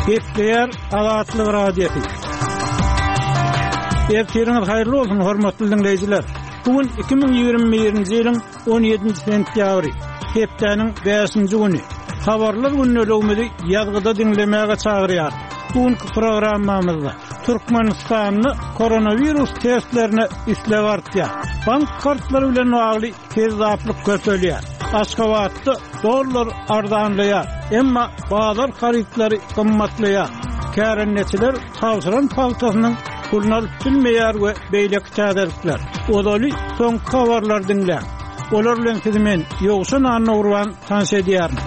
Gepleýär Azatlyk Radiosy. Ertiriňiz haýyrly bolsun, hormatly diňleýjiler! Bu gün 2021-nji ýylyň 17-nji sentýabry, hepdäniň bäşinji güni. Habarlar gündeligimizi ýazgyda diňlemäge çagyrýarys. Bu günki programmamyzda Türkmenistanda koronawirus testlerine isleg artýar. Bank kartlary bilen bagly kezzaplyk köpelýär. Aşgabatda dollar arzanlaýar, emma bazar harytlary gymmatlaýar. Kärendeçiler tabşyran pagtasynyň puluny alyp bilmeýär we beýleki täzelikler. Ozaly soňky habarlary diňläň. Olar bilen sizi men, Ýowşan Annagurban tanyş edýärin.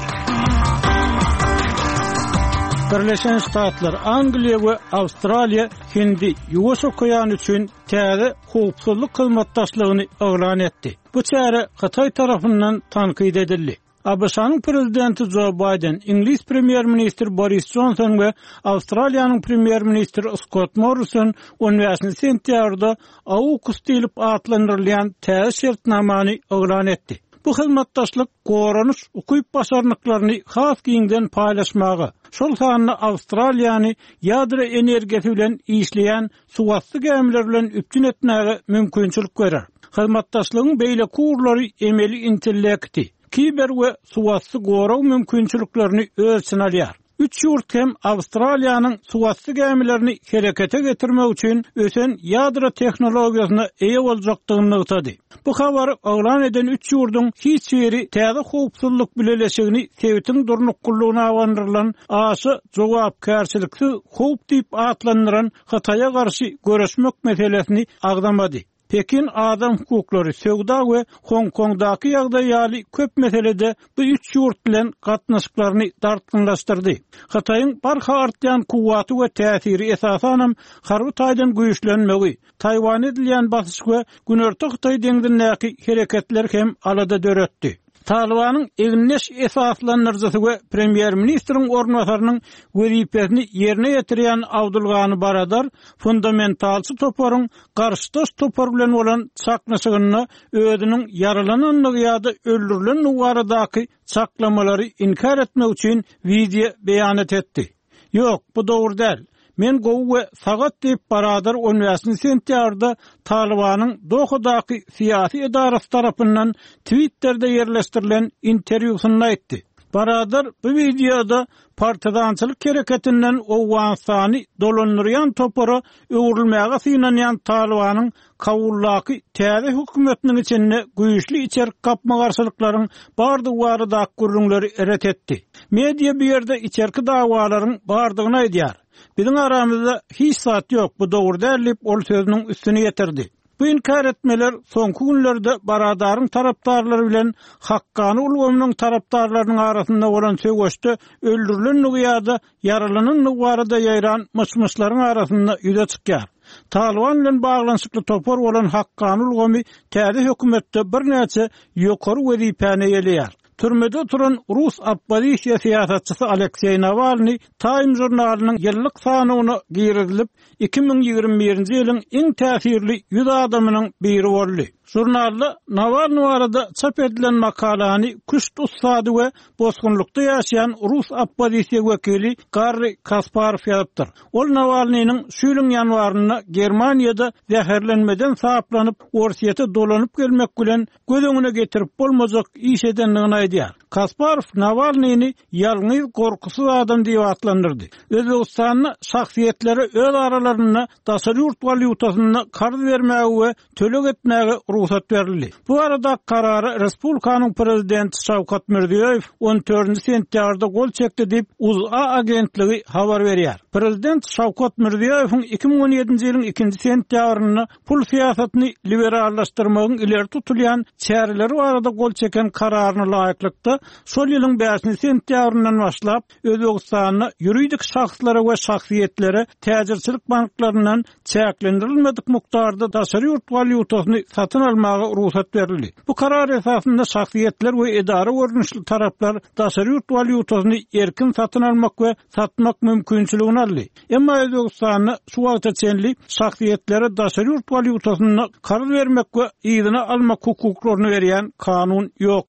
Birleşen Ştatlar, Angliýa we Awstraliýa Hindi, Ýuwaş okeany üçin täze howpsuzlyk hyzmatdaşlygyny yglan etdi. Bu çäre Hytaý tarapyndan tankyt edildi. ABŞ-nyň Prezidenti Jo Baýden, iňlis Premýer-ministri Boris Jonson we Awstraliýanyň Premýer-ministri Skott Morrison on bäşinji sentýabrda AUKUS diýlip atlandyrylýan täze şertnamany yglan etdi. Bu hyzmatdaşlyk goranyş ukyp-başarnyklaryny has giňden paýlaşmaga, şol sanda Awstraliýany ýadro energiýasy bilen işleýän suwasty gämiler bilen üpjün etmäge mümkinçilik berer. Hyzmatdaşlygyň beýleki ugurlary emeli intellekti, kiber we suwasty gorag mümkinçiliklerini öz içine alýar. Üç ýurt hem Awstraliýanyň suwasty gämilerini herekete getirmek üçin ösen ýadro tehnologiýasyna eýe boljakdygyny nygtady. Bu habary yglan eden üç ýurduň hiç biri täze howpsuzlyk bileleşigini sebitiň durnuklylygyna abandyrylan aşa jogapkärçiliksiz howp diýip atlandyran Hytaýa garşy göreşmek meselesini agzamady. Pekin adam hukuklary, söwda we Hong-Kongdaky ýagdaý ýaly köp meselede bu üç ýurt bilen gatnaşyklaryny dartgynlaşdyrdy. Hytaýyň barha artýan kuwwaty we täsiri esasanam harby taýdan güýçlenmegi, Taýwana edilýän basyş we Günorta Hytaý deňzindäki hereketler hem alada döretdi. Talybanyň egindeş esaslandyryjysy we premýer-ministriň orunbasarynyň wezipesini ýerine ýetirýän Abdulgani Baradar fundamentalçy toparyň garşydaş topar bilen bolan çaknyşygynda özüniň ýaralanandygy ýa-da öldürilendigi baradaky çaklamalary inkär etmek üçin wideo beýanat etdi. Ýok, bu dogry däl. Men gowy we sagat diýip, Baradar on bäşinji sentýabrda Talybanyň Dohadaky syýasy edarasy tarapyndan Twitterde ýerleşdirilen interwýusynda aýtdy. Baradar bu wideoda partizançylyk hereketinden Owganystany dolandyrýan topara öwrülmäge synanýan Talybanyň Kabuldaky täze hökümetiniň içinde güýçli içerki gapma-garşylyklaryň bardygy baradaky gürrüňleri ret etdi. Media bu ýerde içerki dawalaryň bardygyny aýdýar. Biziň aramyzda hiç zat ýok, bu dogry däl diýip, ol sözüniň üstüni ýetirdi. Bu inkär etmeler soňky günlerde Baradaryň tarapdarlary bilen Hakkany ulgamynyň tarapdarlarynyň arasynda bolan söweşde öldürilendigi ýa-da ýaralanandygy barada ýaýran myş-myşlaryň arasynda ýüze çykýar. Talyban bilen baglanyşykly topar bolan Hakkany ulgamy täze hökümetde birnäçe ýokary wezipäni eýeleýär. Türmede oturan rus oppozisiýa syýasatçysy Alekseý Nawalnyý Time žurnalynyň ýyllyk sanawyna girizilip, 2021-nji ýylyň iň täsirli 100 adamynyň biri boldy. Žurnalda Nawalnyý barada çap edilen makalany küşt ussady we bosgunlykda ýaşaýan rus oppozisiýa wekili Garri Kasparow ýazypdyr. Ol Nawalnynyň şu ýylyň ýanwarynda Germaniýada zäherlenmeden saplanyp, Orsýete dolanyp gelmek bilen göz öňüne getirip bolmajak iş edendigini aýdýar. Kasparow Nawalnyny ýalňyz gorkusyz adam diýip atlandyrdy. Özbegistanda şahsyýetlere öz aralarynda daşary ýurt walýutasynda karz bermäge we töleg etmäge rugsat berildi. Bu barada karara respublikanyň prezidenti Şawkat Mirziýoýew on dördünji sentýabrda gol çekdi diýip, UZA agentligi habar berýär. Prezident Şawkat Mirziýoýewiň 2017-nji ýylyň ikinji sentýabrynda pul syýasatyny liberallaşdyrmagyň ileri tutulýan çäreleri barada gol çeken kararyna laýyklykda, şol ýylyň bäşinji sentýabryndan başlap, Özbegistanda ýuridik şahslara we şahsyýetlere täjirçilik banklaryndan çäklendirilmedik mukdarda daşary ýurt walýutasyny satyn almaga rugsat berildi. Bu karar esasynda şahsyýetler we edara görnüşli taraplar daşary ýurt walýutasyny erkin satyn almak we satmak mümkinçiligini aldy. Emma Özbegistanda şu wagta çenli şahsyýetlere daşary ýurt walýutasynda karz bermek we yzyna almak hukuklaryny berýän kanun ýok.